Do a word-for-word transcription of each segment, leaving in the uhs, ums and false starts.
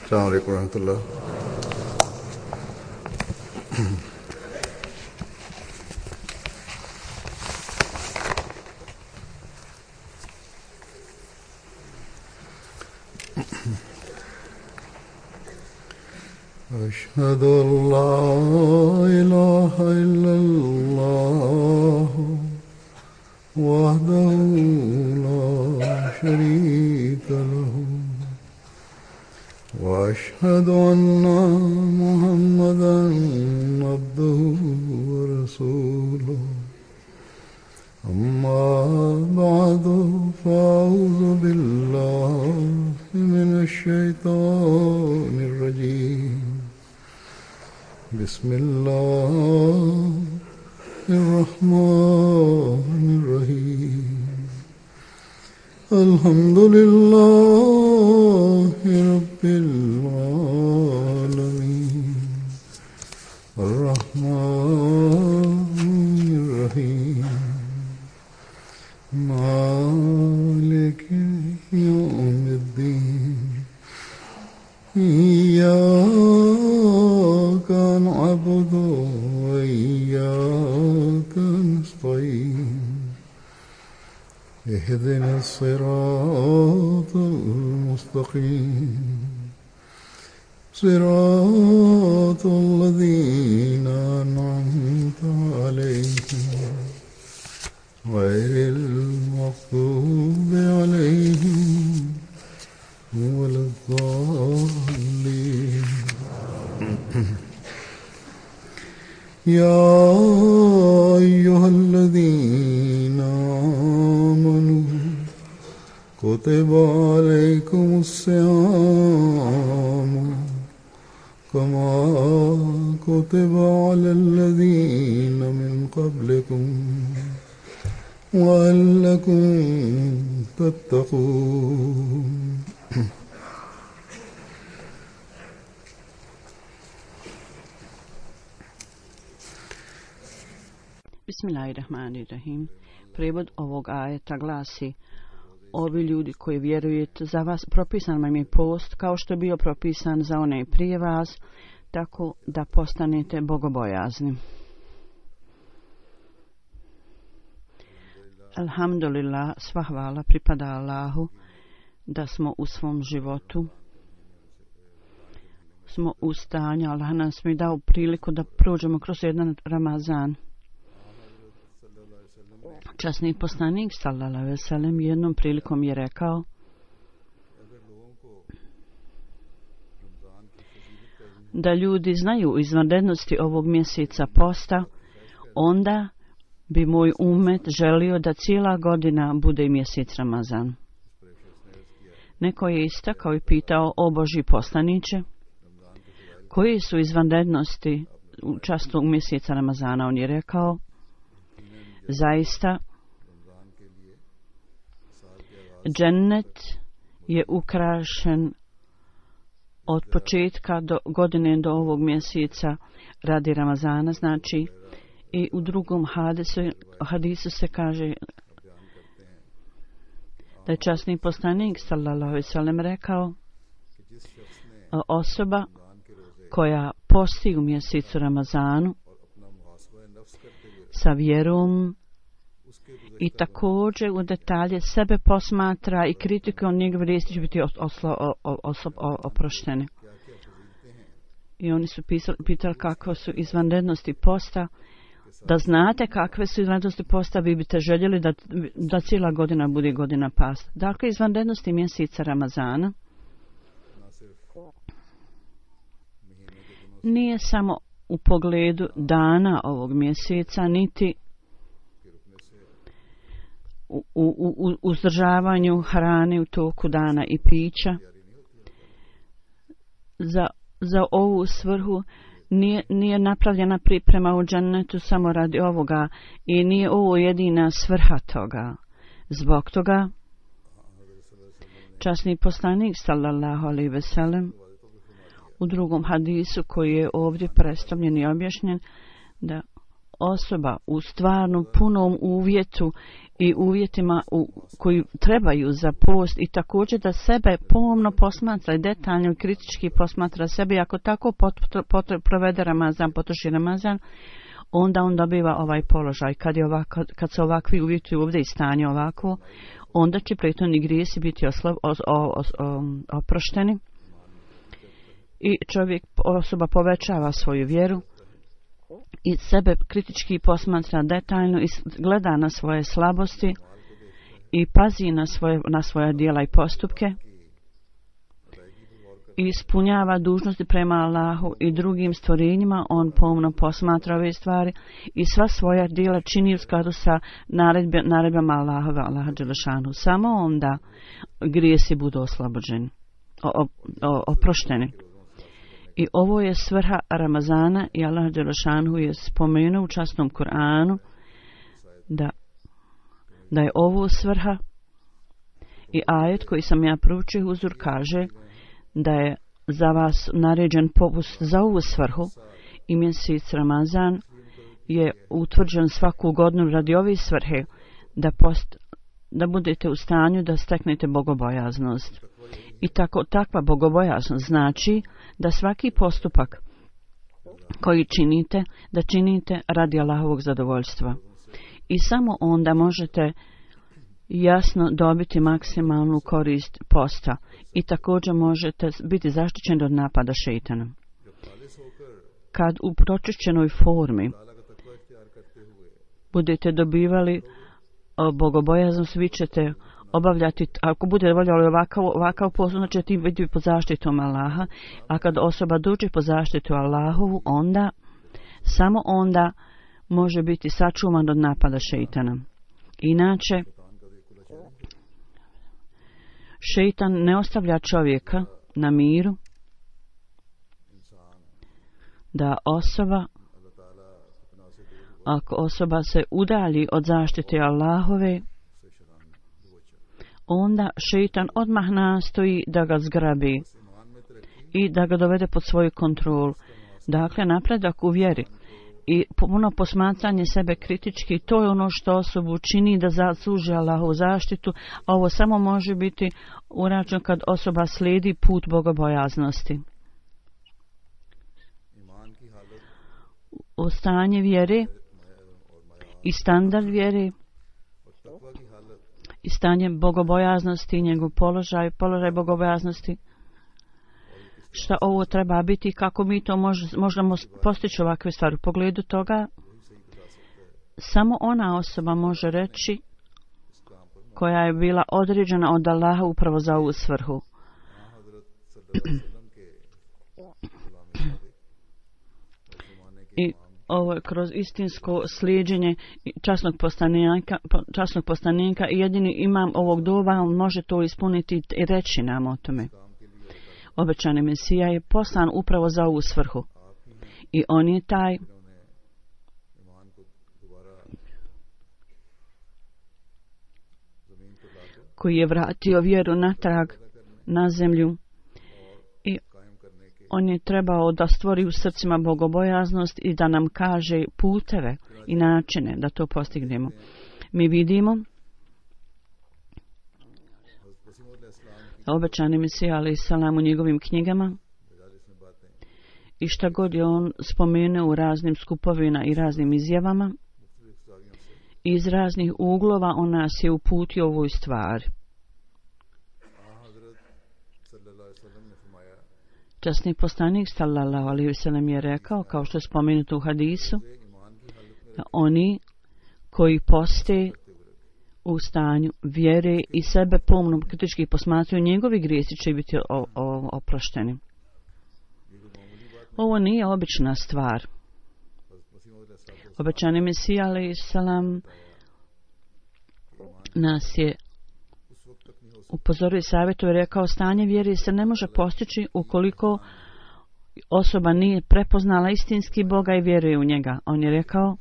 السلام عليكم ورحمة الله. أشهد أن لا إله إلا الله وحده لا شريك له وأشهد أن محمدا عبده ورسوله أما بعد فأعوذ بالله من الشيطان الرجيم بسم الله الرحمن الرحيم الحمد لله رب العالمين الرحمن الرحيم مالك يوم الدين إياك نعبد وإياك نستعين اهدنا الصراط المستقيم صراط الذين أنعمت عليهم غير المغضوب عليهم ولا الضالين. يا أيها الذين آمنوا كتب عليكم الصيام كما كتب على الذين من قبلكم لعلكم تتقون. Bismillahirrahmanirrahim. Prijevod ovog ajeta glasi: ovi ljudi koji vjerujete, za vas propisan vam je post kao što je bio propisan za one prije vas, tako da postanete bogobojazni. Alhamdulillah, sva hvala pripada Allahu da smo u svom životu smo u stanju, Allah nas mi dao priliku da prođemo kroz jedan Ramazan. Časni poslanik sallallahu alejhi ve sellem jednom prilikom je rekao: da ljudi znaju izvanrednosti ovog mjeseca posta, onda bi moj umet želio da cijela godina bude mjesec Ramazan. Neko je istakao i pitao: o Božji poslaniče, koji su izvanrednosti u častu mjeseca Ramazana? On je rekao: zaista, džennet je ukrašen od početka do godine do ovog mjeseca radi Ramazana, znači, i u drugom hadisu, hadisu se kaže da je časni poslanik sallallahu alejhi ve sellem rekao: osoba koja posti u mjesecu Ramazanu sa vjerom i također u detalje sebe posmatra i kritikuje, on njegove riječi će biti oslo, oslo, oproštene. I oni su pisali, pitali kakve su izvanrednosti posta. Da znate kakve su izvanrednosti posta, vi biste željeli da, da cijela godina bude godina pasta. Dakle, izvanrednosti mjeseca Ramazana nije samo u pogledu dana ovog mjeseca, niti u, u, u uzdržavanju hrane u toku dana i pića. Za, za ovu svrhu nije, nije napravljena priprema u džennetu samo radi ovoga i nije ovo jedina svrha toga. Zbog toga časni poslanik sallallahu alejhi ve sellem u drugom hadisu koji je ovdje predstavljen i objašnjen, da osoba u stvarnom punom uvjetu i uvjetima u, koji trebaju za post i također da sebe pomno posmatra i detaljno i kritički posmatra sebe i ako tako pot, pot, provede Ramazan, potroši Ramazan, onda on dobiva ovaj položaj. Kad, je ovako, kad se ovakvi uvjeti ovdje i stanje ovako, onda će prethodni grijesi biti oslo, o, o, o, oprošteni i čovjek, osoba povećava svoju vjeru i sebe kritički posmatra detaljno i gleda na svoje slabosti i pazi na svoje, na svoja djela i postupke i ispunjava dužnosti prema Allahu i drugim stvorenjima. On pomno posmatra ove stvari i sva svoja djela čini u skladu sa naredbe, naredbama Allahove, Allaha dželešanu. Samo onda grijesi budu oslobođeni, o, o, oprošteni. I ovo je svrha Ramazana i Allah dželešanu je spomenuo u časnom Kur'anu da, da je ovo svrha i ajet koji sam ja proučio Huzur kaže da je za vas naređen popust za ovu svrhu i mjesec Ramazan je utvrđen svaku godinu radi ove svrhe da, post, da budete u stanju da steknete bogobojaznost. I tako, takva bogobojaznost znači da svaki postupak koji činite, da činite radi Allahovog zadovoljstva. I samo onda možete jasno dobiti maksimalnu korist posta i također možete biti zaštićeni od napada šejtana. Kad u pročišćenoj formi budete dobivali bogobojaznost, vi ćete obavljati, ako bude voljeli ovakav, ovakav posao, znači ti biti pod zaštitom Allaha, a kad osoba dođe pod zaštitu Allahovu, onda, samo onda može biti sačuvan od napada šejtana. Inače, šejtan ne ostavlja čovjeka na miru da osoba, ako osoba se udalji od zaštite Allahove, onda šejtan odmah nastoji da ga zgrabi i da ga dovede pod svoju kontrolu. Dakle, napredak u vjeri i puno posmatranje sebe kritički, to je ono što osobu čini da zasluži Allahovu zaštitu, a ovo samo može biti urađeno kad osoba slijedi put bogobojaznosti. O stanje vjere i standard vjere i stanje bogobojaznosti, njegov položaj, položaj bogobojaznosti, šta ovo treba biti, kako mi to mož, možemo postići ovakve stvari. U pogledu toga, samo ona osoba može reći koja je bila određena od Allaha upravo za ovu svrhu. I ovo je kroz istinsko slijeđenje časnog poslanika, časnog poslanika i jedini imam ovog doba, on može to ispuniti i reći nam o tome. Obećani Mesija je poslan upravo za ovu svrhu. I on je taj koji je vratio vjeru natrag na zemlju. I on je trebao da stvori u srcima bogobojaznost i da nam kaže puteve i načine da to postignemo. Mi vidimo obećani Mesija alejhi selam u njegovim knjigama i šta god je on spomenuo u raznim skupovima i raznim izjavama, iz raznih uglova on nas je uputio ovoj stvari. Časni poslanik sallallahu alejhi ve sellem je rekao, kao što je spomenuto u hadisu, da oni koji poste u stanju vjere i sebe pomno kritički posmatraju, njegovi grijesi će biti o, o, oprošteni. Ovo nije obična stvar. Obećani Mesija alejhi selam nas je upozorio i savjetuje, rekao, stanje vjere se ne može postići ukoliko osoba nije prepoznala istinski Boga i vjeruje u njega. On je rekao,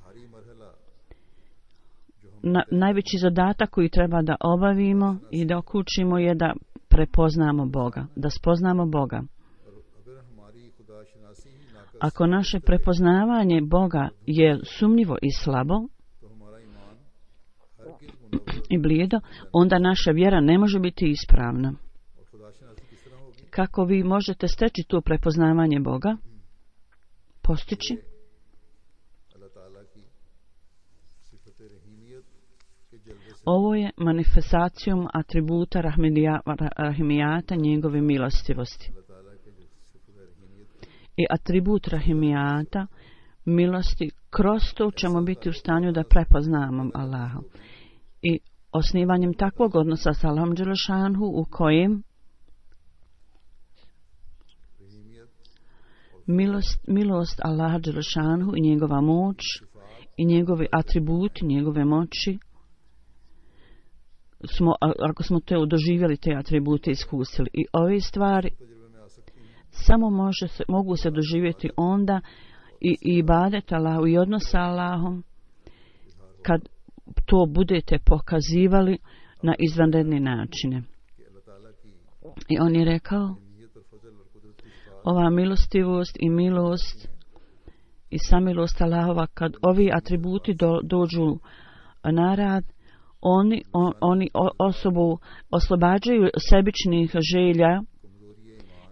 na, najveći zadatak koji treba da obavimo i da okučimo je da prepoznamo Boga, da spoznamo Boga. Ako naše prepoznavanje Boga je sumnjivo i slabo, i blijedo, onda naša vjera ne može biti ispravna. Kako vi možete steći to prepoznavanje Boga? Postići? Ovo je manifestacijom atributa rahimijata njegove milostivosti. I atribut rahimijata milosti, kroz to ćemo biti u stanju da prepoznamo Allaha. I osnivanjem takvog odnosa sa Allahom dželešanhu u kojem milost, milost Allaha dželešanhu i njegova moć i njegovi atributi, njegove moći, smo, ako smo te doživjeli te atribute iskusili. I ove stvari samo može se, mogu se doživjeti onda i, i ibadet Allahu i odnos sa Allahom kad to budete pokazivali na izvanredne načine. I on je rekao, ova milostivost i milost i samilost Allahova, kad ovi atributi do, dođu na rad, oni, on, oni osobu oslobađaju sebičnih želja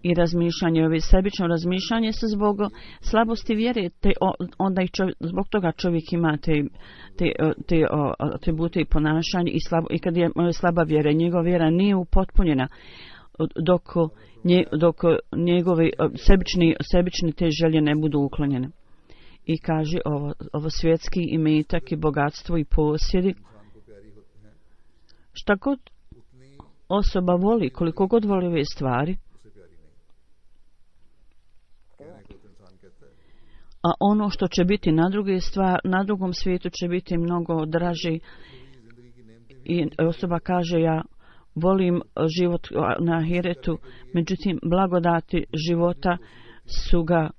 i razmišljanje. Ove sebično razmišljanje se zbog slabosti vjere, te onda i čovjek, zbog toga čovjek ima te, te, te atribute i ponašanje i, slabo, i kad je slaba vjera, njegova vjera nije upotpunjena dok, nje, dok njegove sebični, sebične te želje ne budu uklonjene. I kaže ovo, ovo svjetski imetak i bogatstvo i posjedi, šta god osoba voli, koliko god voli ove stvari, a ono što će biti na druge stvar, na drugom svijetu će biti mnogo draži. I osoba kaže, ja volim život na ahiretu, međutim blagodati života su ga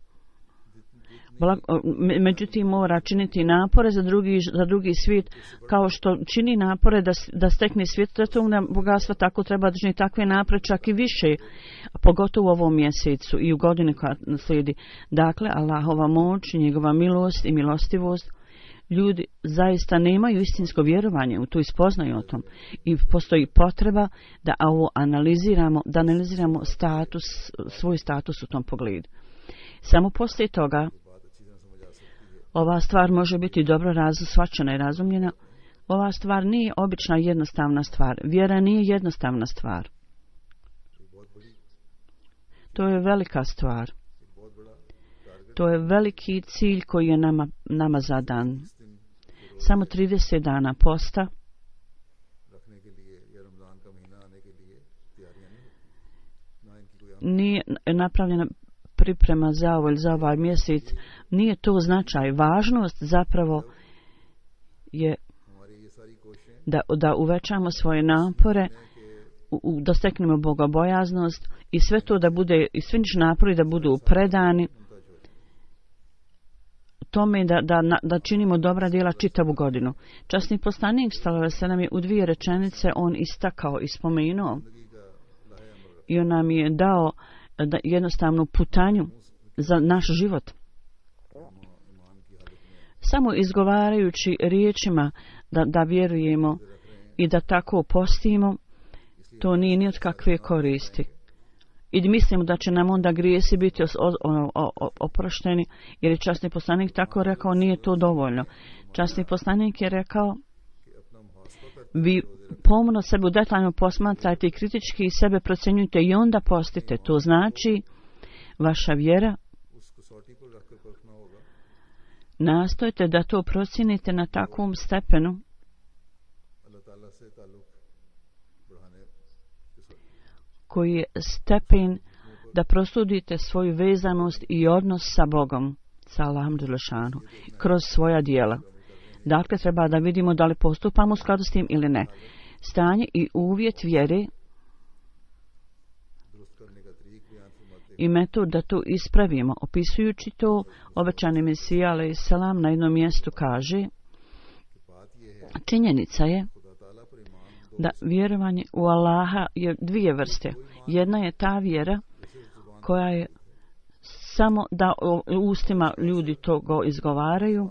Blag, međutim mora činiti napore za drugi, za drugi svijet, kao što čini napore da, da stekne svijet svetovna bogatstva, tako treba da čini takve napore, čak i više, pogotovo u ovom mjesecu i u godini koja slijedi. Dakle, Allahova moć, njegova milost i milostivost, ljudi zaista nemaju istinsko vjerovanje u to i spoznaju o tom. I postoji potreba da ovo analiziramo, da analiziramo status, svoj status u tom pogledu. Samo poslije toga ova stvar može biti dobro razsvaćena i razumljena. Ova stvar nije obična jednostavna stvar. Vjera nije jednostavna stvar. To je velika stvar. To je veliki cilj koji je nama, nama zadan. Samo trideset dana posta nije napravljena priprema za ovo ili za ovaj mjesec. Nije to značaj. Važnost zapravo je da, da uvećamo svoje napore, u, u, da steknemo bogobojaznost i sve to da bude, i svi napori da budu predani tome da, da, da činimo dobra djela čitavu godinu. Časni poslanik sallallahu alejhi ve sellem je u dvije rečenice on istakao i spomenuo i on nam je dao da jednostavnu putanju za naš život. Samo izgovarajući riječima da, da vjerujemo i da tako postimo, to nije ni od kakve koristi. I mislimo da će nam onda grijesi biti oprošteni, jer je časni poslanik tako rekao, nije to dovoljno. Časni poslanik je rekao, vi pomno sebe detaljno posmatrajte i kritički sebe procjenjujte i onda postite. To znači, vaša vjera, nastojte da to procijenite na takvom stepenu koji je stepen da prosudite svoju vezanost i odnos sa Bogom, sa Allahom dželešanu, kroz svoja djela. Dakle, treba da vidimo da li postupamo u skladu s tim ili ne. Stanje i uvjet vjere i metod da to ispravimo. Opisujući to, obećani Mesija alejhi selam na jednom mjestu kaže, činjenica je da vjerovanje u Allaha je dvije vrste. Jedna je ta vjera koja je samo da u ustima ljudi to go izgovaraju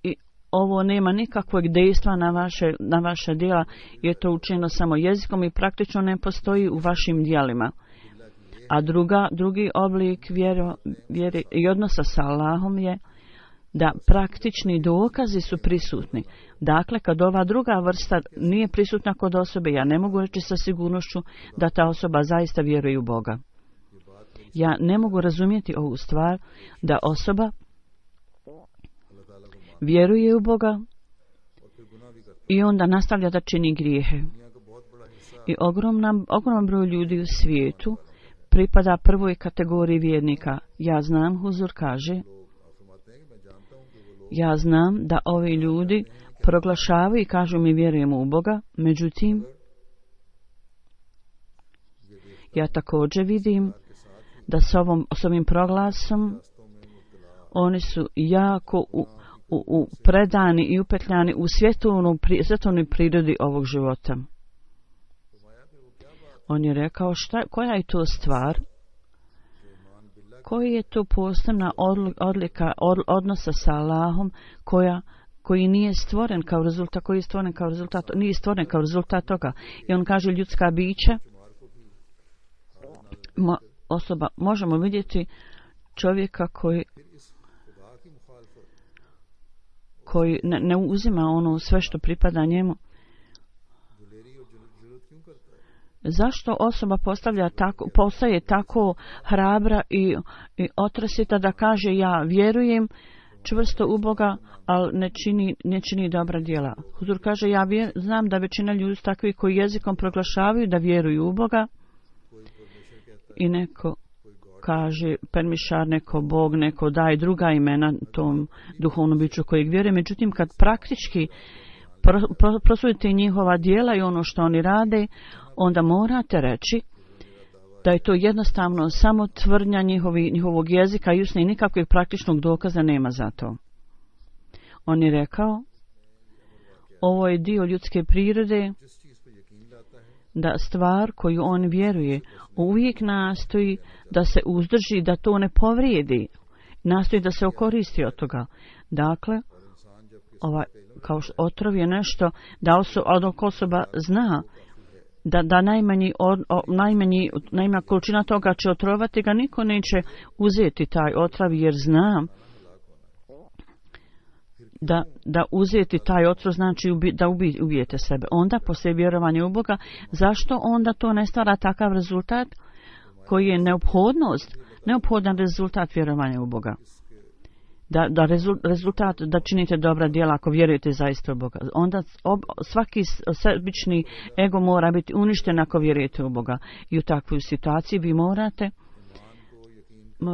i ovo nema nikakvog dejstva na vaše, na vaše djela, je to učinjeno samo jezikom i praktično ne postoji u vašim djelima. A druga, drugi oblik vjero, vjere i odnosa sa Allahom je da praktični dokazi su prisutni. Dakle, kad ova druga vrsta nije prisutna kod osobe, ja ne mogu reći sa sigurnošću da ta osoba zaista vjeruje u Boga. Ja ne mogu razumjeti ovu stvar da osoba vjeruje u Boga i onda nastavlja da čini grijehe. I ogromna, ogromna broj ljudi u svijetu pripada prvoj kategoriji vjernika. Ja znam, Huzur kaže, ja znam da ovi ljudi proglašavaju i kažu mi vjerujemo u Boga, međutim, ja također vidim da s, ovom, s ovim proglasom oni su jako u, u, u predani i upetljani u svjetovnu, svjetovnoj prirodi ovog života. On je rekao, šta, koja je to stvar? Koji je to posebna odlika od, odnosa sa Allahom koja, koji nije stvoren kao rezultat, koji je stvoren kao rezultat, nije stvoren kao rezultat toga. I on kaže ljudska bića, mo, osoba, možemo vidjeti čovjeka koji koji ne, ne uzima ono sve što pripada njemu. Zašto osoba postavlja tako, postaje tako hrabra i, i otresita da kaže ja vjerujem čvrsto u Boga, ali ne čini, ne čini dobra djela. Huzur kaže ja vjer, znam da većina ljudi takvi koji jezikom proglašavaju da vjeruju u Boga i neko kaže permišar, neko Bog, neko daje druga imena tom duhovnom biću kojeg vjeruje. Međutim, kad praktički prosudite njihova djela i ono što oni rade, onda morate reći da je to jednostavno samo tvrdnja njihovi, njihovog jezika i usne i nikakvog praktičnog dokaza nema za to. On je rekao, ovo je dio ljudske prirode, da stvar koju on vjeruje uvijek nastoji da se uzdrži, da to ne povrijedi, nastoji da se okoristi od toga. Dakle, ovaj, kao što otrov je nešto da osoba, osoba zna da, da najmanji, o, o, najmanji, najmanja količina toga će otrovati ga, niko neće uzeti taj otrov jer zna da, da uzeti taj otrov znači ubi, da ubi, ubijete sebe. Onda poslije vjerovanja u Boga, zašto onda to ne stvara takav rezultat koji je neophodnost, neophodan rezultat vjerovanja u Boga? Da, da rezultat da činite dobra djela ako vjerujete zaista u Boga. Onda ob, svaki sebični ego mora biti uništen ako vjerujete u Boga. I u takvoj situaciji vi morate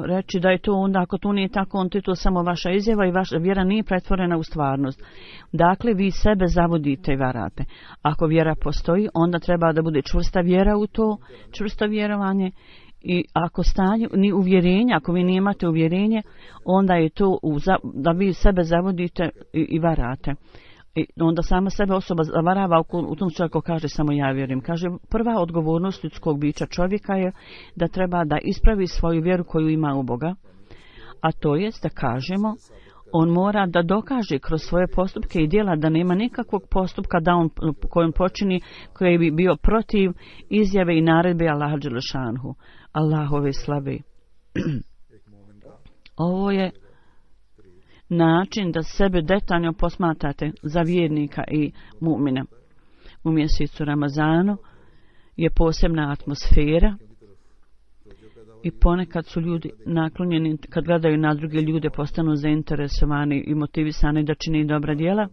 reći da je to onda, ako to nije tako, onda je to samo vaša izjava i vaša vjera nije pretvorena u stvarnost. Dakle, vi sebe zavodite i varate. Ako vjera postoji, onda treba da bude čvrsta vjera u to, čvrsto vjerovanje. I ako stanje, ni uvjerenje, ako vi nemate uvjerenje, onda je to u, da vi sebe zavodite i, i varate. I onda sama sebe osoba zavarava u, u tom čovjeku kaže samo ja vjerujem. Kaže, prva odgovornost ljudskog bića čovjeka je da treba da ispravi svoju vjeru koju ima u Boga. A to jest da kažemo, on mora da dokaže kroz svoje postupke i djela da nema nikakvog postupka da on, kojom počini koji bi bio protiv izjave i naredbe Allaha dželešanhu, Allahove slave. Ovo je način da sebe detaljno posmatrate za vjernika i mu'mina. U mjesecu Ramazanu je posebna atmosfera i ponekad su ljudi naklonjeni, kad gledaju na druge ljude, postanu zainteresovani i motivisani da čini dobra djela,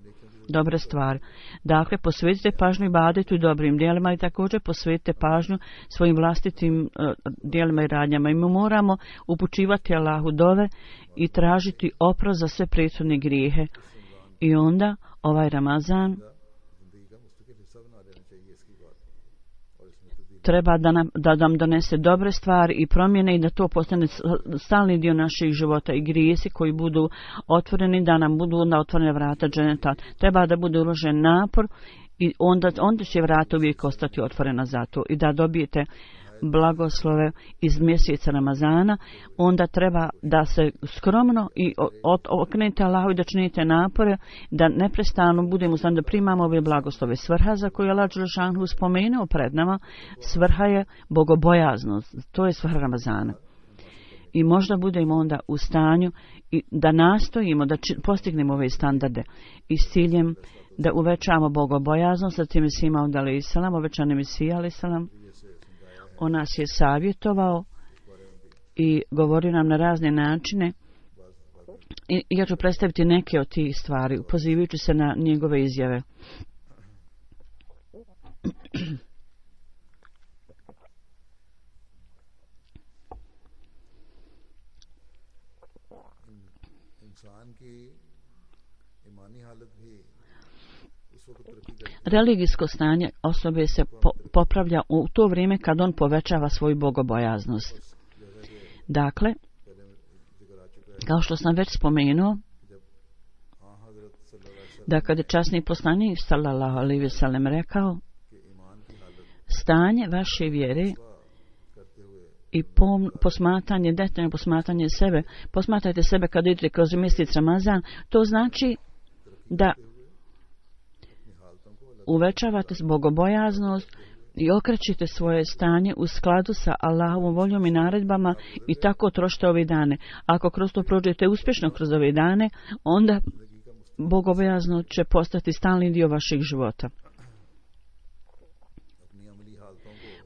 dobre stvari. Dakle, posvetite pažnju ibadetu i dobrim djelima i također posvetite pažnju svojim vlastitim uh, djelima i radnjama. I mi moramo upućivati Allahu dove i tražiti oprost za sve prethodne grijehe. I onda ovaj Ramazan treba da nam, da nam donese dobre stvari i promjene i da to postane stalni dio naših života i grijesi koji budu otvoreni, da nam budu onda otvorene vrata dženeta. Treba da bude uložen napor i onda, onda će vrata uvijek ostati otvorena za to i da dobijete blagoslove iz mjeseca Ramazana, onda treba da se skromno i okrenete Allahu i da činite napore, da neprestano budemo u stanju da primamo ove blagoslove. Svrha za koju je Allah dželešanu spomenuo pred nama, svrha je bogobojaznost. To je svrha Ramazana. I možda budemo onda u stanju i da nastojimo da či, postignemo ove standarde i s ciljem da uvećamo bogobojaznost. Zatim je Sima od alejhi selam, obećani Mesija alejhi selam, on nas je savjetovao i govorio nam na razne načine. I ja ću predstaviti neke od tih stvari, pozivajući se na njegove izjave. Religijsko stanje osobe se po, popravlja u to vrijeme kad on povećava svoju bogobojaznost. Dakle, kao što sam već spomenuo, da kad je časni poslanik sallallahu alejhi ve sellem rekao, stanje vaše vjere i pom, posmatranje, detaljno posmatranje sebe, posmatrajte sebe kad idete kroz mjesec Ramazan, to znači da uvećavate bogobojaznost i okrećite svoje stanje u skladu sa Allahovom voljom i naredbama i tako trošite ove dane. Ako kroz to prođete uspješno kroz ove dane, onda bogobojaznost će postati stalni dio vašeg života.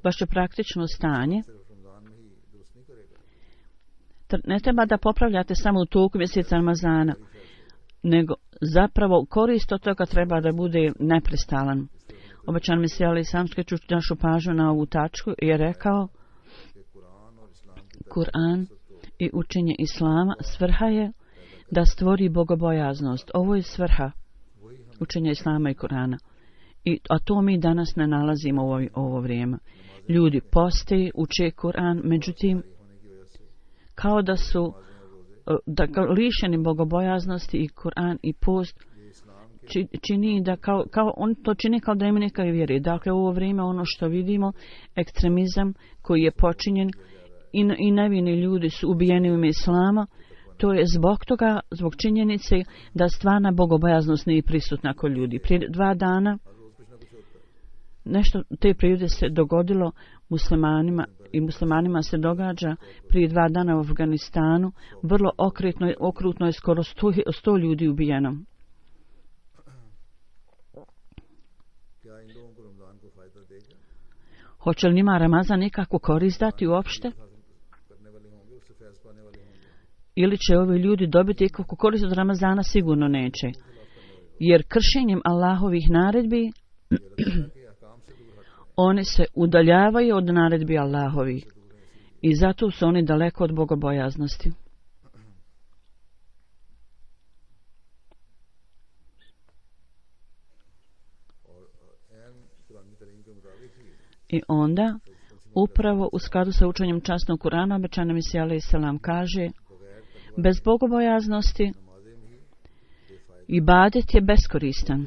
Vaše praktično stanje ne treba da popravljate samo u toku mjeseca Ramazana, nego zapravo korist od toga treba da bude neprestalan. Obećan Mesija alejhi selam skreću našu pažnju na ovu tačku i je rekao, Kur'an i učenje Islama svrha je da stvori bogobojaznost. Ovo je svrha učenja Islama i Kur'ana. I, a to mi danas ne nalazimo u ovo, ovo vrijeme. Ljudi poste, uče Kur'an, međutim, kao da su da lišeni bogobojaznosti i Kur'an i post čini da kao, kao on to čini kao da ima neka vjere. Dakle, u ovo vrijeme ono što vidimo, ekstremizam koji je počinjen i, i nevini ljudi su ubijeni u ime Islama, to je zbog toga, zbog činjenice da stvarna bogobojaznost nije prisutna kod ljudi. Prije dva dana nešto te prirode se dogodilo muslimanima i muslimanima se događa prije dva dana u Afganistanu. Vrlo okrutno, okrutno je skoro sto, sto ljudi ubijeno. Hoće li njima Ramazan nikakvu korist dati uopšte? Ili će ovi ljudi dobiti ikakvu korist od Ramazana? Sigurno neće. Jer kršenjem Allahovih naredbi oni se udaljavaju od naredbi Allahovih i zato su oni daleko od bogobojaznosti. I onda, upravo u skladu sa učenjem časnog Kur'ana, obećani Mesija alejhi selam kaže, bez bogobojaznosti ibadet je beskoristan.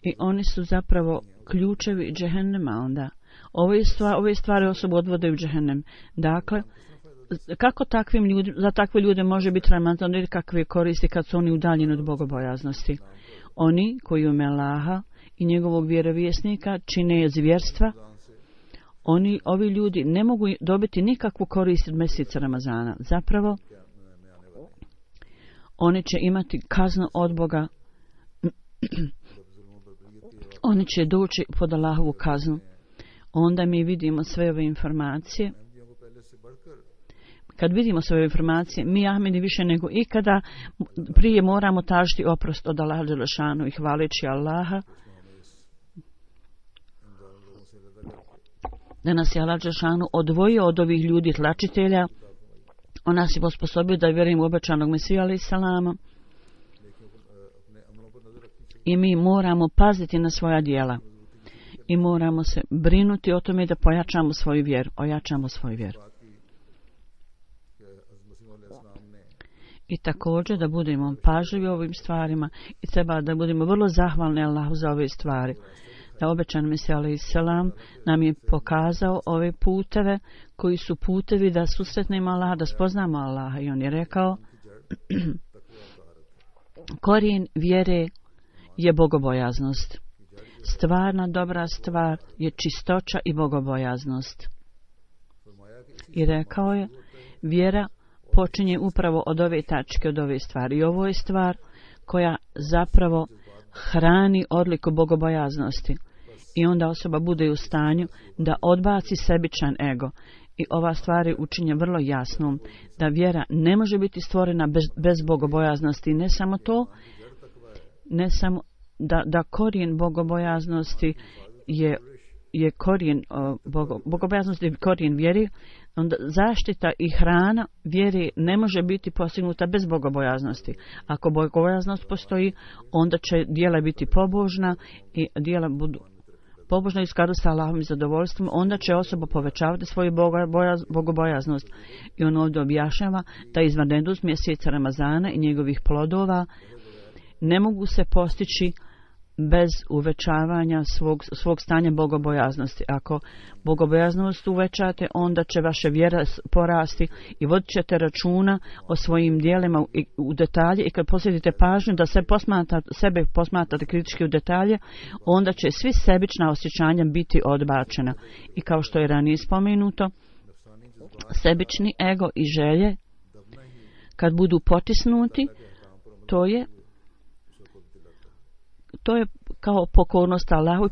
I oni su zapravo ključevi džehennema onda. Ove stvari, ove stvari osobu odvode u džehennem. Dakle, kako takvim ljudi, za takve ljude može biti Ramazan ili kakve koristi kad su oni udaljeni od bogobojaznosti? Oni koji u ime Allaha i njegovog vjerovjesnika čine zvjerstva, oni, ovi ljudi ne mogu dobiti nikakvu korist od mjeseca Ramazana. Zapravo, oni će imati kaznu od Boga. Oni će doći pod Allahovu kaznu. Onda mi vidimo sve ove informacije. Kad vidimo sve ove informacije, mi Ahmedi više nego ikada prije moramo tražiti oprost od Allaha dželešanu i hvaleći Allaha da nas je Allah dželešanu odvojio od ovih ljudi tlačitelja. On nas je osposobio da vjerujemo u obećanog Mesija alejhi selama. I mi moramo paziti na svoja djela. I moramo se brinuti o tome da pojačamo svoju vjeru. Ojačamo svoju vjeru. I također da budemo pažljivi ovim stvarima i treba da budemo vrlo zahvalni Allahu za ove stvari. da obećan Mesija alejhi selam nam je pokazao ove puteve koji su putevi da susretnemo Allaha, da spoznamo Allaha, i on je rekao korijen vjere je bogobojaznost. Stvarna dobra stvar je čistoća i bogobojaznost. I rekao je, vjera počinje upravo od ove tačke, od ove stvari. I ovo je stvar koja zapravo hrani odliku bogobojaznosti. I onda osoba bude u stanju da odbaci sebičan ego. I ova stvar je učinje vrlo jasnom, da vjera ne može biti stvorena bez, bez bogobojaznosti. Ne samo to, ne samo da, da korijen bogobojaznosti je, je korijen, bogo, bogobojaznosti je korijen vjeri, onda zaštita i hrana vjere ne može biti postignuta bez bogobojaznosti. Ako bogobojaznost postoji, onda će djela biti pobožna i djela budu pobožno i u skladu sa Allahovim zadovoljstvom, onda će osoba povećavati svoju bogobojaznost. I on ovdje objašnjava da izvanrednost mjeseca Ramazana i njegovih plodova ne mogu se postići bez uvećavanja svog, svog stanja bogobojaznosti. Ako bogobojaznost uvećate, onda će vaša vjera porasti i vodit ćete računa o svojim dijelima u detalje, i kad posjetite pažnju da se posmatra, sebe posmatrate kritički u detalje, onda će svi sebična osjećanja biti odbačena. I kao što je ranije spomenuto, sebični ego i želje kad budu potisnuti, to je to je kao pokornost Allahu i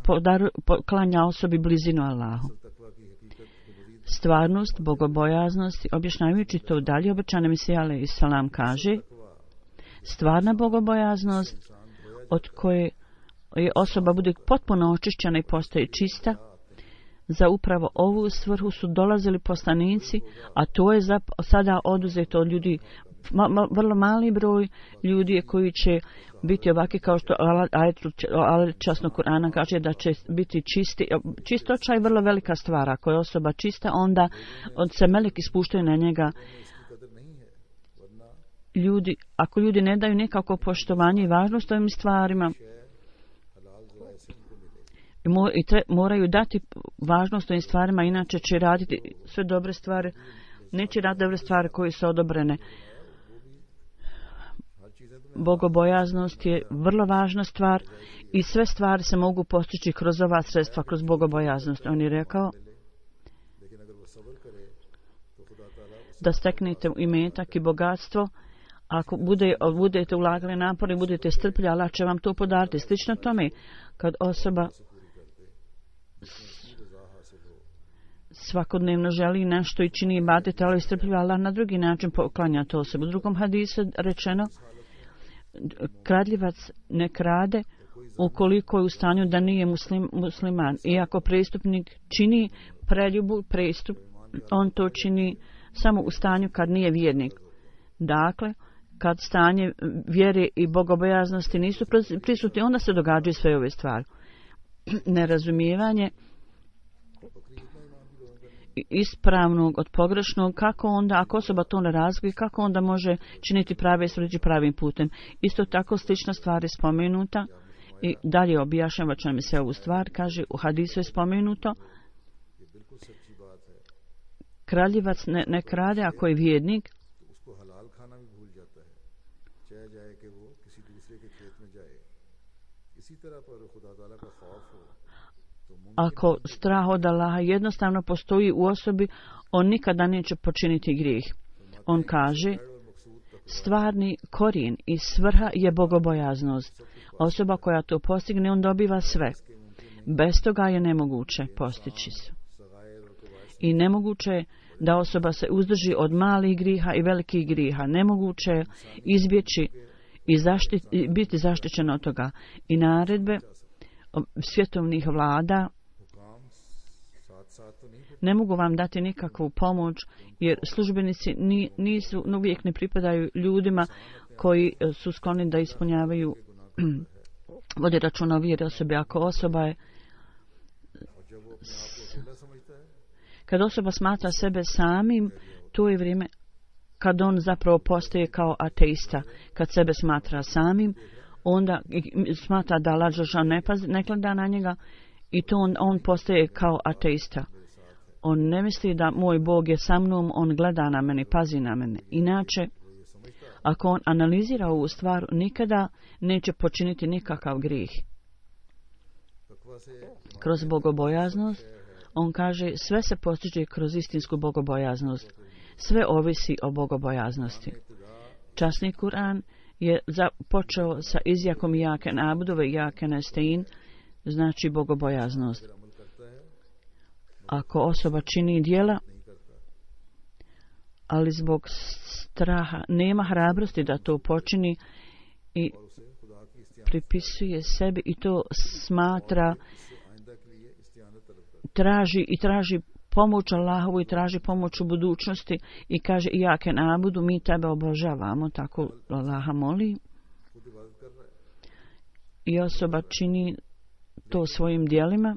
poklanja osobi blizinu Allahu. Stvarnost, bogobojaznost, objašnjavajući to dalje, obećani Mesija alejhi selam kaže, stvarna bogobojaznost od koje je osoba bude potpuno očišćena i postaje čista, za upravo ovu svrhu su dolazili poslanici, a to je za, sada oduzeto od ljudi. Ma, ma, vrlo mali broj ljudi koji će biti ovaki, kao što ajet časnog Kur'ana kaže da će biti čisti. Čistoća je vrlo velika stvar. Ako je osoba čista, onda od se meleki spuštaju na njega. Ljudi, ako ljudi ne daju nekako poštovanje i važnost ovim stvarima, i tre, moraju dati važnost ovim stvarima, inače će raditi sve dobre stvari, neće raditi dobre stvari koje su odobrene. Bogobojaznost je vrlo važna stvar i sve stvari se mogu postići kroz ova sredstva, kroz bogobojaznost. On je rekao da steknete imetak i bogatstvo, ako bude, budete ulagali napor i budete strpljivi, Allah će vam to podariti. Slično tome, kad osoba svakodnevno želi nešto i čini ibadet, ali strpljivo, Allah na drugi način poklanja to osobu. U drugom hadisu rečeno, kradljivac ne krade ukoliko je u stanju da nije muslim, musliman. I ako prestupnik čini preljubu, prestup, on to čini samo u stanju kad nije vjernik. Dakle, kad stanje vjere i bogobojaznosti nisu prisutni, onda se događaju sve ove stvari. Nerazumijevanje ispravnog od pogrešnog, kako onda, ako osoba to ne razvije, kako onda može činiti prave stvari pravim putem. Isto tako slična stvar je spomenuta i dalje objašnjava će mi se ovu stvar, kaže u hadisu je spomenuto, kraljevac ne, ne krade ako je vjernik, ako strah od Allaha jednostavno postoji u osobi, on nikada neće počiniti grijeh. On kaže, stvarni korijen i svrha je bogobojaznost. Osoba koja to postigne, on dobiva sve. Bez toga je nemoguće postići se. I nemoguće je da osoba se uzdrži od malih griha i velikih griha. Nemoguće je izbjeći i zaštit, biti zaštićen od toga. I naredbe svjetovnih vlada ne mogu vam dati nikakvu pomoć, jer službenici ni, nisu, uvijek ne pripadaju ljudima koji su skloni da ispunjavaju vodi računa o vjeri osobe. Ako osoba je kad osoba smatra sebe samim, to je vrijeme kad on zapravo postaje kao ateista. Kad sebe smatra samim, onda smatra da Allah ne, ne gleda na njega I to on, on postaje kao ateista. On ne misli da moj Bog je sa mnom, on gleda na mene, pazi na mene. Inače, ako on analizira ovu stvar, nikada neće počiniti nikakav grijeh. Kroz bogobojaznost, on kaže, sve se postiže kroz istinsku bogobojaznost. Sve ovisi o bogobojaznosti. Časni Kur'an je počeo sa izjakom jake nabudove, jake nestein, znači bogobojaznost. Ako osoba čini djela, ali zbog straha nema hrabrosti da to počini i pripisuje sebi i to smatra, traži i traži pomoć Allahovu i traži pomoć u budućnosti i kaže jake nabudu, mi tebe obožavamo, tako Allaha moli. I osoba čini to svojim djelima,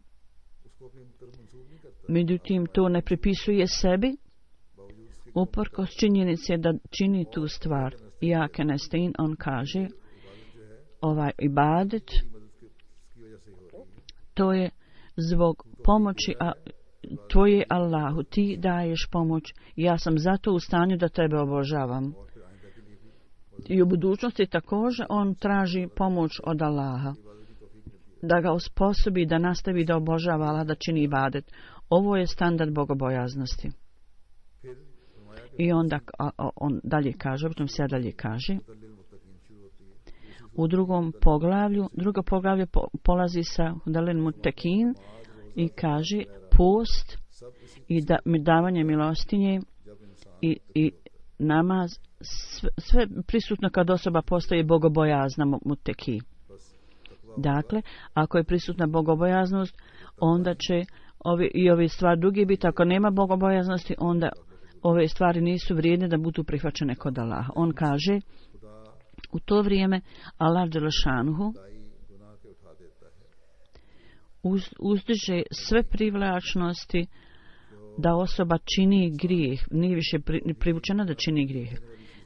međutim to ne pripisuje sebi, uprkos činjenice da čini tu stvar. Jake nestein, on kaže, ovaj ibadet, to je zbog pomoći a, tvoje Allahu, ti daješ pomoć, ja sam zato u stanju da tebe obožavam. I u budućnosti također on traži pomoć od Allaha, da ga osposobi da nastavi da obožava Allah, da čini ibadet. Ovo je standard bogobojaznosti. I onda on dalje kaže, potom se dalje kaže, u drugom poglavlju, drugo poglavlje po, polazi sa Hudalin Mutekin i kaže post i da, davanje milostinje i, i namaz, sve, sve prisutno kad osoba postaje bogobojazna muteki. Dakle, ako je prisutna bogobojaznost, onda će ovi, i ove stvari drugi biti. Ako nema bogobojaznosti, onda ove stvari nisu vrijedne da budu prihvaćene kod Allaha. On kaže, u to vrijeme Allah dželešanuhu uz, uzdiže sve privlačnosti da osoba čini grijeh, nije više pri, privučena da čini grijeh.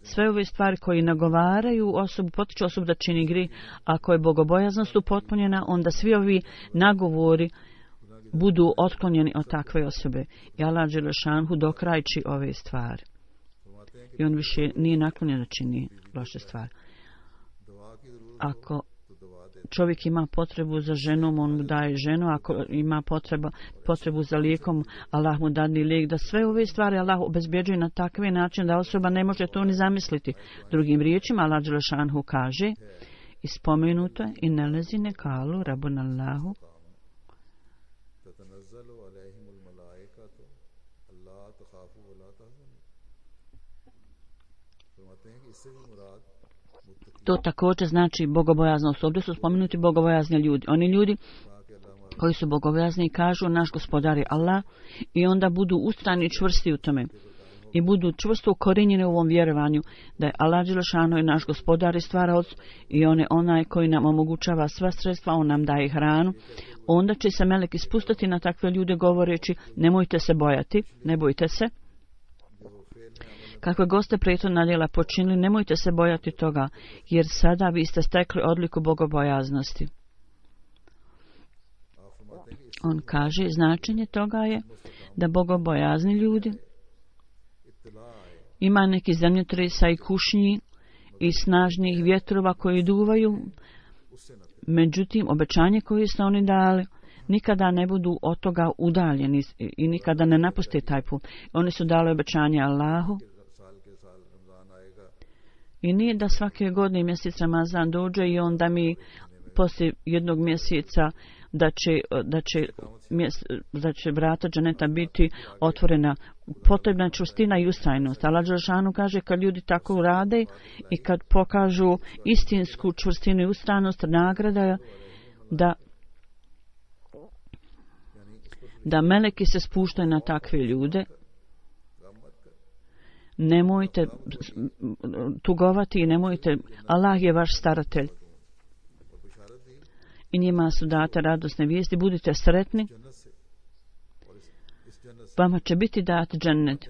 Sve ove stvari koji nagovaraju osobu, potiču osobu da čini grijeh, ako je bogobojaznost upotpunjena, onda svi ovi nagovori budu otklonjeni od takve osobe. I Allah dželešanuhu dokrajči ove stvari. I on više nije naklonjen da čini loše stvari. Ako čovjek ima potrebu za ženom, on mu daje ženu. Ako ima potreba, potrebu za lijekom, Allah mu dadne lijek. Da sve ove stvari Allah obezbjeđuje na takve način da osoba ne može to ni zamisliti. Drugim riječima, Allah dželešanuhu kaže, i spomenuto je, i nelezine kalu rabunallahu, to također znači bogobojaznost. Ovdje su spomenuti bogobojazni ljudi. Oni ljudi koji su bogobojazni kažu naš gospodar je Allah i onda budu ustrajni i čvrsti u tome. I budu čvrsto ukorinjeni u ovom vjerovanju da je Allah dželešanu i naš gospodar i stvaraoc i on je onaj koji nam omogućava sva sredstva, on nam daje hranu. Onda će se meleki spustiti na takve ljude govoreći nemojte se bojati, ne bojte se. Kakve goste prethodna djela počinili, nemojte se bojati toga, jer sada vi ste stekli odliku bogobojaznosti. On kaže, značenje toga je da bogobojazni ljudi ima neki zemljotresa i kušnji i snažnih vjetrova koji duvaju, međutim, obećanje koje su oni dali, nikada ne budu od toga udaljeni i nikada ne napuste taj put. Oni su dali obećanje Allahu. I nije da svake godine mjesec Ramazan dođe i onda mi poslije jednog mjeseca da će, da će, mjese, da će vrata dženeta biti otvorena. Potrebna je čvrstina i ustrajnost. Allah dželešanu kaže kad ljudi tako rade i kad pokažu istinsku čvrstinu i ustrajnost, nagrada je da da meleki se spuštaju na takve ljude. Nemojte tugovati i nemojte, Allah je vaš staratelj. I njima su date radosne vijesti, budite sretni. Vama će biti dat džennet.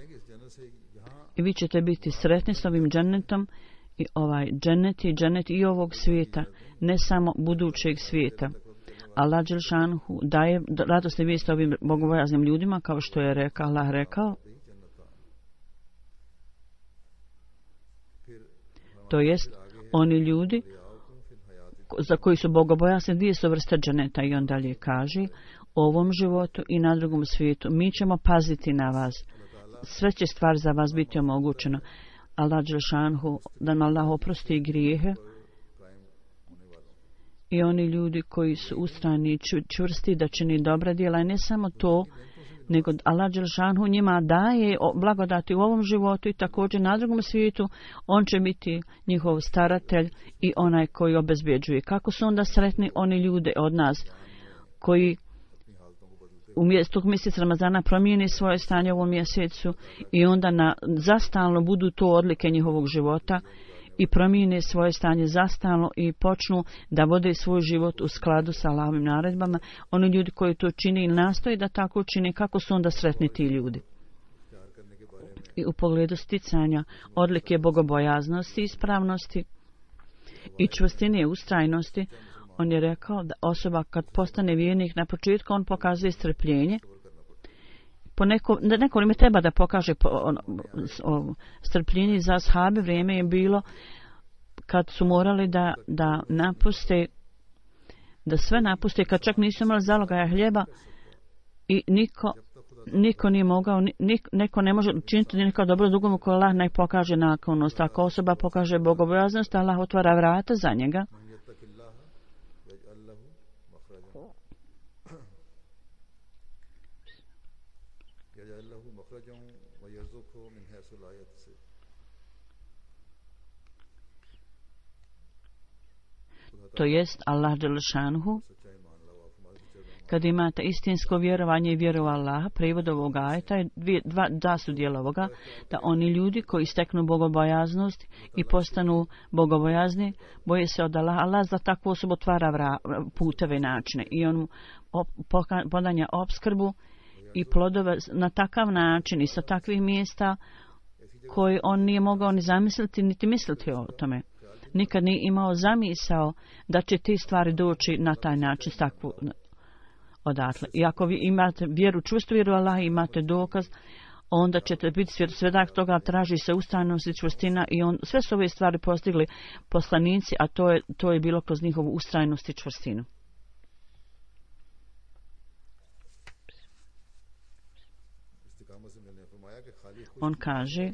I vi ćete biti sretni s ovim džennetom. I ovaj džennet i džennet i ovog svijeta, ne samo budućeg svijeta. Allah dželšanhu daje radosne vijesti ovim bogobojaznim ljudima, kao što je rekao, Allah rekao, to jest oni ljudi za koji su bogobojazni, dvije su vrste dženeta. I on dalje kaže, u ovom životu i na drugom svijetu mi ćemo paziti na vas, sve će stvar za vas biti omogućeno. Allah dželšanhu, da nam Allah oprosti grijehe, i oni ljudi koji su ustrajni i čvrsti da čini dobra djela. I ne samo to, nego Allah dželšanhu njima daje blagodati u ovom životu i također na drugom svijetu. On će biti njihov staratelj i onaj koji obezbjeđuje. Kako su onda sretni oni ljude od nas koji u mjestu mjeseca Ramazana promijeni svoje stanje u ovom mjesecu i onda na, zastalno budu to odlike njihovog života i promijene svoje stanje zastalno i počnu da vode svoj život u skladu sa Allahovim naredbama. Oni ljudi koji to čine i nastoje da tako čine, kako su onda sretni ti ljudi. I u pogledu sticanja odlike bogobojaznosti, ispravnosti i čvrstine i ustrajnosti, on je rekao da osoba kad postane vjernik, na početku on pokazuje strpljenje. Po neko, neko vrijeme treba da pokaže po, on, o, strpljenje. Za ashabe vrijeme je bilo kad su morali da, da napuste, da sve napuste, kad čak nisu imali zalogaja hljeba i niko, niko nije mogao, nik, neko ne može učiniti neka dobro drugom ko Allah ne pokaže naklonost. Ako osoba pokaže bogobojaznost, Allah otvara vrata za njega. To jest Allah dželšanhu, kad imate istinsko vjerovanje i vjeru u Allaha, prevod ovog ajeta je dvije, dva, dva su dijela ovoga, da oni ljudi koji steknu bogobojaznost i postanu bogobojazni, boje se od Allaha. Allah za takvu osobu otvara vra, puteve i načine i on op, podanja opskrbu i plodove na takav način i sa takvih mjesta koji on nije mogao ni zamisliti niti misliti o tome. Nikad nije imao zamisao da će te stvari doći na taj način s takvu odatle. I ako vi imate vjeru, čvrstu vjeru Allah, imate dokaz, onda ćete biti svjedak toga, traži se ustrajnost i čvrstina i on, sve su ove stvari postigli poslanici, a to je, to je bilo kroz njihovu ustrajnost i čvrstinu. On kaže,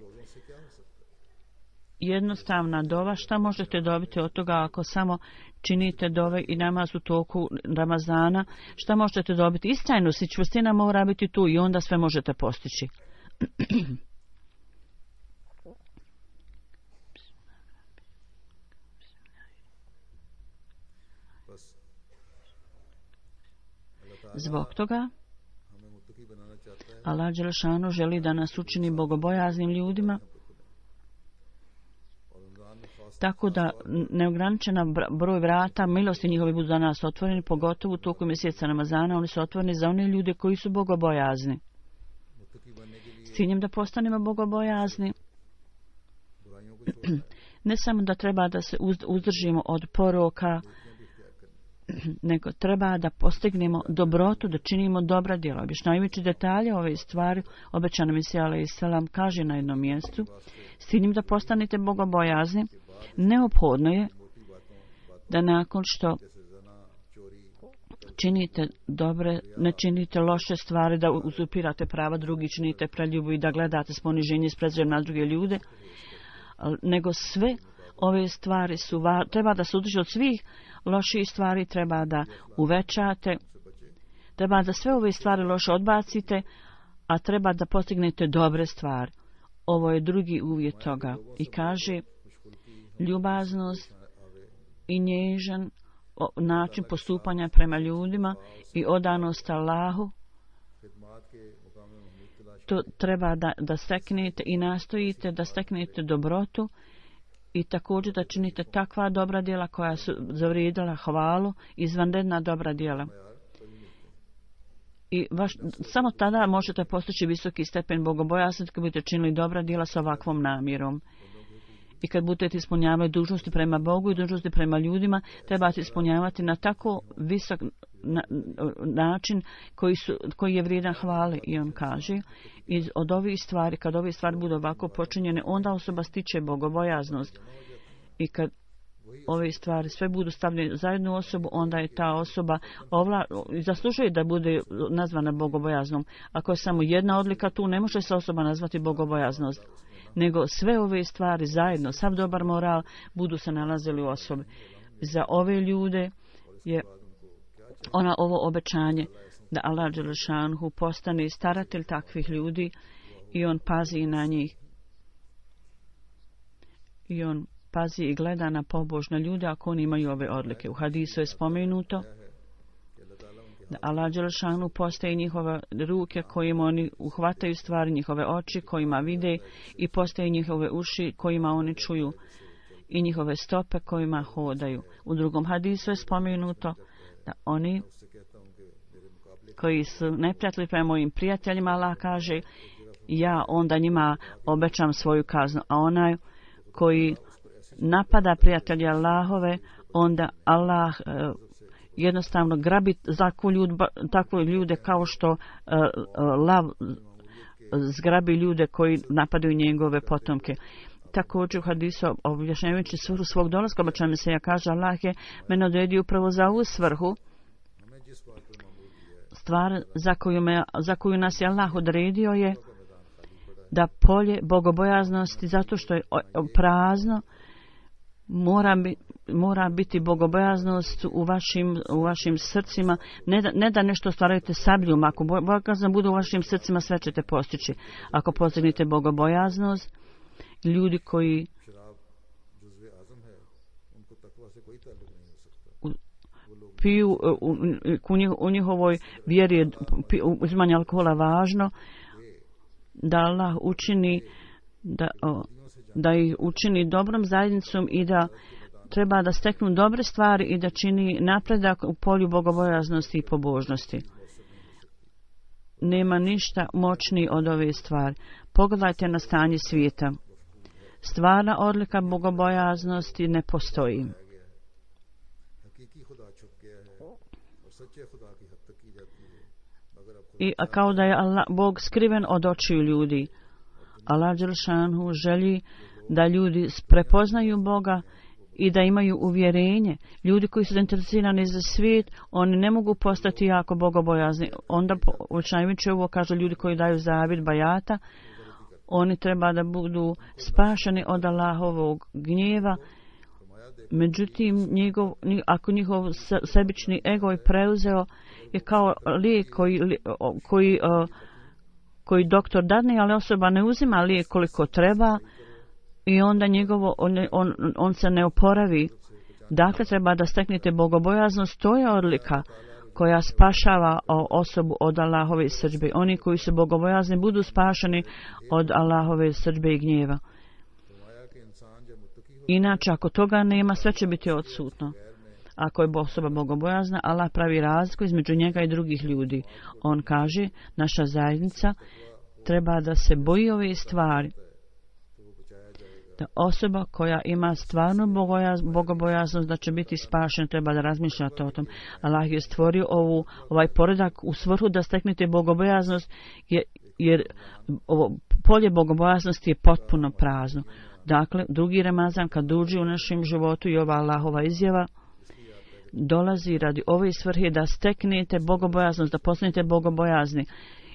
jednostavna dova, šta možete dobiti od toga ako samo činite dove i namaz u toku Ramazana, šta možete dobiti? Istrajnost i čvrstina mora biti tu i onda sve možete postići. Zbog toga Allah dželešanu želi da nas učini bogobojaznim ljudima, tako da neograničena broj vrata milosti njihovi budu za nas otvoreni, pogotovo u toku mjeseca Ramazana. Oni su otvoreni za one ljude koji su bogobojazni. S ciljem da postanemo bogobojazni, ne samo da treba da se uzdržimo od poroka, nego treba da postignemo dobrotu, da činimo dobra djela. Objašnjavajući detalje ove stvari, obećana Mesija alejhi selam kaže na jednom mjestu, s ciljem da postanete bogobojazni, neophodno je da nakon što činite dobre, ne činite loše stvari, da uzupirate prava drugih, činite preljubu i da gledate s poniženjem i s prezirem na druge ljude, nego sve ove stvari su, treba da se udrži od svih loših stvari, treba da uvećate, treba da sve ove stvari loše odbacite, a treba da postignete dobre stvari. Ovo je drugi uvjet toga. I kaže, ljubaznost i nježan način postupanja prema ljudima i odanost Allahu, to treba da, da steknete i nastojite da steknete dobrotu i također da činite takva dobra djela koja su zavrijedila hvalu, izvanredna dobra djela. I vaš, samo tada možete postići visoki stepen bogobojaznosti kad budete činili dobra djela sa ovakvom namjerom. I kad budete ispunjavati dužnosti prema Bogu i dužnosti prema ljudima, trebate ispunjavati na tako visok na, način koji, su, koji je vrijedan hvale. I on kaže, iz, od ovih stvari, kad ove stvari budu ovako počinjene, onda osoba stiče bogobojaznost. I kad ove stvari sve budu stavljene za jednu osobu, onda je ta osoba ovla, zaslužuje da bude nazvana bogobojaznom. Ako je samo jedna odlika tu, ne može se osoba nazvati bogobojaznost. Nego sve ove stvari zajedno, sav dobar moral, budu se nalazili u osobi. Za ove ljude je ona ovo obećanje da Allah dželešanhu postane staratelj takvih ljudi i on pazi na njih. I on pazi i gleda na pobožne ljude ako oni imaju ove odlike. U hadisu je spomenuto da Allah dželešanhu postaje njihove ruke kojima oni uhvataju stvari, njihove oči kojima vide i postaje njihove uši kojima oni čuju i njihove stope kojima hodaju. U drugom hadisu je spomenuto da oni koji su neprijatelji prema mojim prijateljima, Allah kaže, ja onda njima obećam svoju kaznu, a onaj koji napada prijatelje Allahove, onda Allah uh, jednostavno grabi takvu ljude, takvu ljude kao što uh, uh, lav zgrabi ljude koji napadaju njegove potomke. Također u hadisu objašnjavajući svrhu svog dolaska, obećanje se ja kaže, Allah je mene odredio upravo za ovu svrhu, stvar za koju, me, za koju nas je Allah odredio je da polje bogobojaznosti, zato što je prazno, mora, bi, mora biti bogobojaznost u vašim, u vašim srcima. Ne da, ne da nešto stvarajte sabljom. Ako bogobojaznost bude u vašim srcima, sve ćete postići. Ako postignete bogobojaznost, ljudi koji piju u, u, u njihovoj vjeri je uzimanje alkohola važno, da Allah učini da, o, da ih učini dobrom zajednicom i da treba da steknu dobre stvari i da čini napredak u polju bogobojaznosti i pobožnosti. Nema ništa moćniji od ove stvari. Pogledajte na stanje svijeta. Stvarna odlika bogobojaznosti ne postoji. I kao da je Allah, Bog skriven od očiju ljudi. Allah dželšanhu želi da ljudi prepoznaju Boga i da imaju uvjerenje. Ljudi koji su zainteresirani za svijet, oni ne mogu postati jako bogobojazni. Onda učajmići ovo kažu ljudi koji daju zavid bajata, oni treba da budu spašeni od Allahovog gnjeva. Međutim, njegov, ako njihov sebični ego je preuzeo, je kao lijek koji, koji, koji doktor dadne, ali osoba ne uzima lijek koliko treba i onda njegovo, on, on, on se ne oporavi. Dakle, treba da steknete bogobojaznost, to je odlika koja spašava osobu od Allahove srdžbe. Oni koji su bogobojazni budu spašeni od Allahove srdžbe i gnjeva. Inače, ako toga nema, sve će biti odsutno. Ako je osoba bogobojazna, Allah pravi razliku između njega i drugih ljudi. On kaže, naša zajednica treba da se boji ove stvari. Da osoba koja ima stvarno bogobojaznost da će biti spašena, treba da razmišljate o tom. Allah je stvorio ovu, ovaj poredak u svrhu da steknete bogobojaznost, jer, jer ovo polje bogobojaznosti je potpuno prazno. Dakle, drugi Ramazan kad duži u našem životu i ova Allahova izjava dolazi radi ove svrhe da steknete bogobojaznost, da postanete bogobojazni.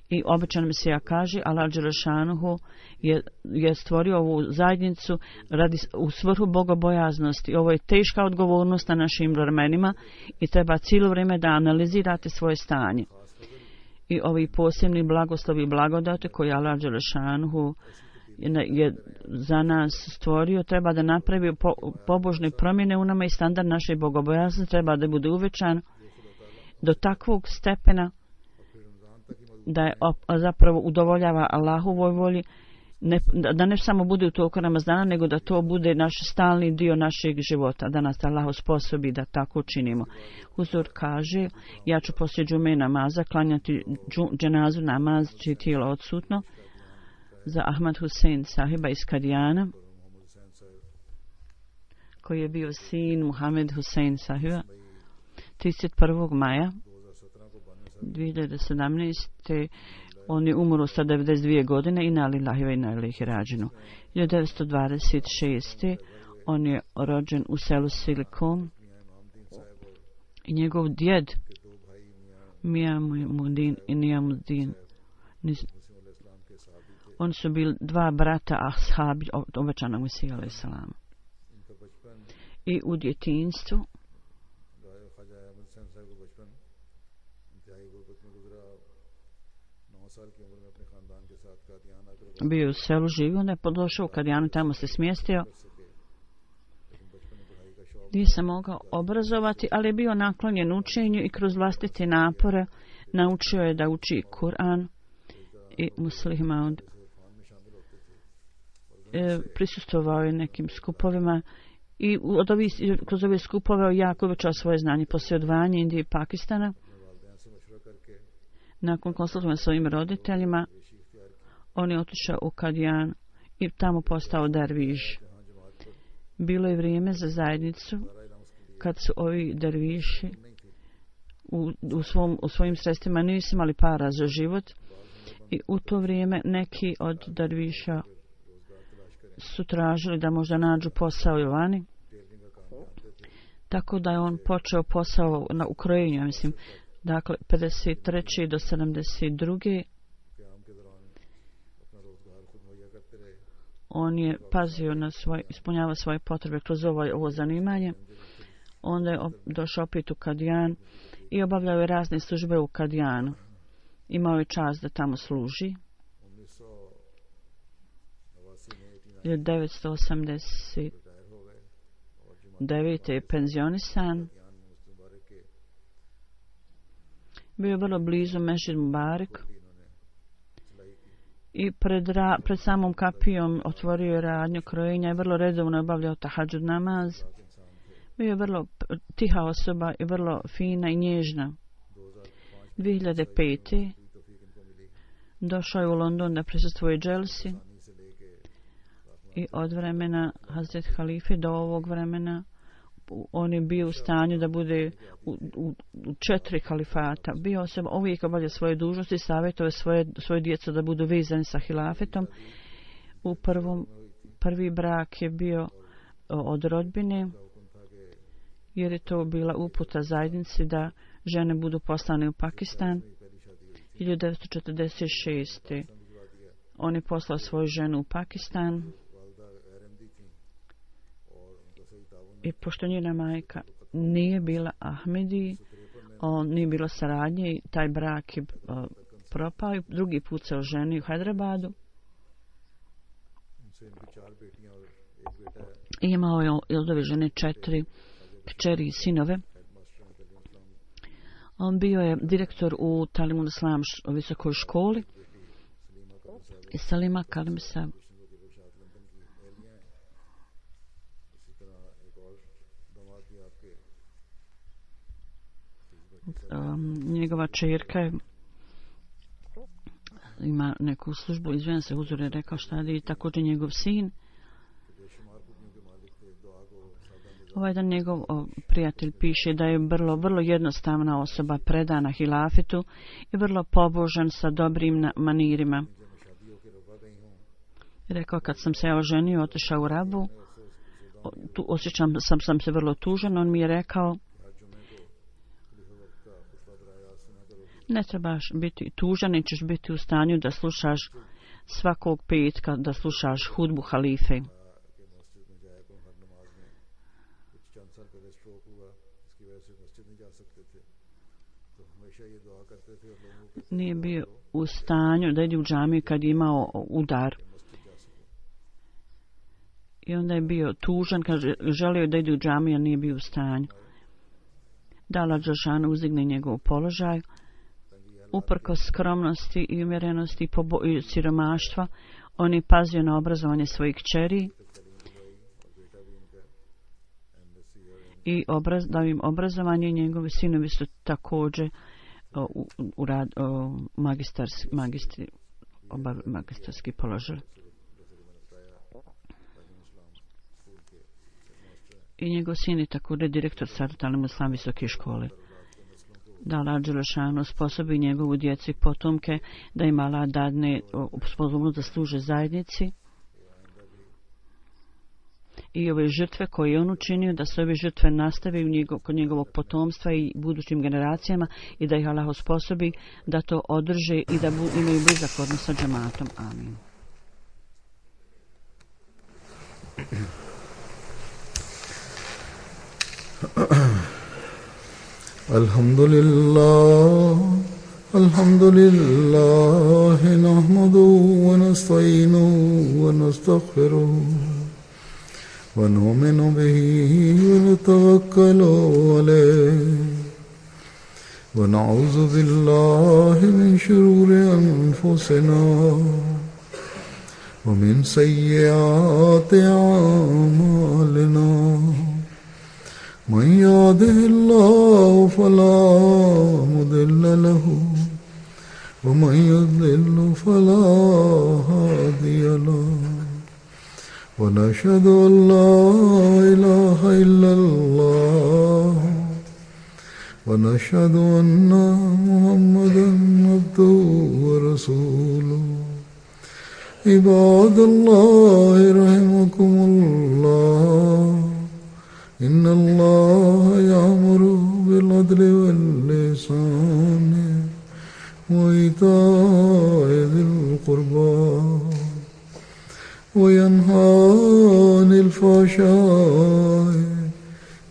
I običan Mesija kaže, Allah dželešanuhu je, je stvorio ovu zajednicu radi, u svrhu bogobojaznosti. Ovo je teška odgovornost na našim vremenima i treba cijelo vrijeme da analizirate svoje stanje. I ovi posebni blagoslovi i blagodati koje Allah dželešanuhu je za nas stvorio, treba da napravi po, pobožne promjene u nama i standard naše bogobojaznosti treba da bude uvećan do takvog stepena da je op, zapravo udovoljava Allahovoj volji, ne, da ne samo bude u toku Ramazana, nego da to bude naš stalni dio našeg života, da nas Allah osposobi da tako činimo. Huzur kaže, ja ću poslije džume namaza klanjati džu, dženazu namaz, čije tijelo odsutno, za Ahmad Husein sahiba iz Kadijana, koji je bio sin Muhammed Husein sahiba, trideset prvog maja dvije hiljade sedamnaeste. On je umro sa devedeset dvije godine i na lillahi ve inna ilaihi rađinu. hiljadu devetsto dvadeset šeste. On je rođen u selu Silikon i njegov djed Mijamuddin i Nijamuddin, oni su bili dva brata ashabi obećanog Mesija alejhi selam. I u djetinjstvu bio u selu, živio, onda je došao u Kadijanu, tamo se smjestio. Nije se mogao obrazovati, ali je bio naklonjen učenju i kroz vlastite napore naučio je da uči Kur'an i muslima. E, prisustvovao je nekim skupovima i od ovih, kroz ove skupove jako uvećao svoje znanje. Poslije odvajanja Indije i Pakistana, nakon konsultovanja s svojim roditeljima, on je otišao u Kadijan i tamo postao derviš. Bilo je vrijeme za zajednicu kad su ovi derviši u, u, svom, u svojim sredstvima nisu imali para za život i u to vrijeme neki od derviša su tražili da možda nađu posao i vani. Tako da je on počeo posao na ukrojenju, mislim, dakle, pedeset treće do sedamdeset druge on je pazio na svoj, ispunjava svoje potrebe kroz ovo, ovo zanimanje. Onda je došao opet u Kadijan i obavljao je razne službe u Kadijanu. Imao je čast da tamo služi. hiljadu devetsto osamdeset devete je penzionisan. Bio je vrlo blizu Mešid Mubarak i pred, ra, pred samom kapijom otvorio je radnju krojenja i vrlo redovno obavljao tahadžud namaz. Bio je vrlo tiha osoba i vrlo fina i nježna. dvije hiljade pete. došao je u London da prisustvuje dželsi i od vremena Hazret Halife do ovog vremena on je bio u stanju da bude u, u, u četiri halifata. Bio osoba uvijek obavlja svoje dužnosti, savjetuje svoje, svoje djecu da budu vezani sa hilafetom. U prvom, prvi brak je bio od rodbine, jer je to bila uputa zajednici da žene budu poslane u Pakistan. hiljadu devetsto četrdeset šeste. on je poslao svoju ženu u Pakistan i pošto njena majka nije bila Ahmedi, on nije bilo saradnje i taj brak je uh, propao i drugi put se oženio u Hyderabadu. I imao je od ove žene četiri kćeri i sinove. On bio je direktor u Talimul Islam visokoj školi i Salima Kalimsa. Um, njegova čerka je ima neku službu, izvijem se, Huzur je rekao šta je, također njegov sin. Ovaj dan njegov o, prijatelj piše da je vrlo, vrlo jednostavna osoba, predana hilafetu i vrlo pobožan sa dobrim na, manirima. Rekao, kad sam se oženio, otišao u Rabu, o, tu osjećam sam, sam se vrlo tužan, on mi je rekao, ne trebaš biti tužan, nećeš biti u stanju da slušaš svakog petka, da slušaš hudbu halife. Nije bio u stanju da ide u džamiju kad je imao udar. I onda je bio tužan, kad želio da ide u džamiju, a nije bio u stanju. Dala Đelšanu uzdigne njegov položaj. Uprkos skromnosti i umjerenosti i, pobo- i siromaštva, on je pazio na obrazovanje svojih kćeri i obraz, dao im obrazovanje. Njegovi sinovi su također o, u, u rad, o, magistarski, magistri, oba, magistarski položaj. I njegov sin je također direktor Talimul Islam visoke škole. da Allah Đelešanu sposobi njegovu djecu i potomke, da im Allah dadne sposobnost da služe zajednici. I ove žrtve koje je on učinio, da se ove žrtve nastave u njegov, kod njegovog potomstva i budućim generacijama i da ih Allah osposobi da to održe i da bu, imaju blizak odnos sa džematom. Amin. Alhamdulillah, alhamdulillah, nahmaduhu wa nasta'inuhu wa nastaghfiruhu. ونؤمن به ونتوكل عليه ونعوذ بالله من شرور أنفسنا ومن سيئات أعمالنا من يهده الله فلا مضل له ومن يضلل فلا هادي له ونشهد أن لا إله إلا الله ونشهد أن محمدا عبده ورسوله عباد الله رحمكم الله إن الله يأمر بالعدل والإحسان وإيتاء ذي القربى وينهى عن الفحشاء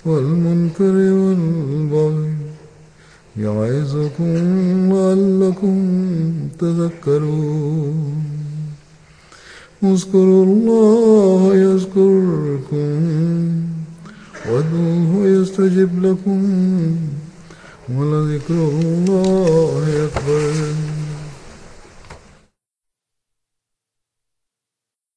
والمنكر والبغي يعظكم لعلكم تذكرون اذكروا الله يذكركم وادعوه يستجب لكم ولذكر الله أكبر.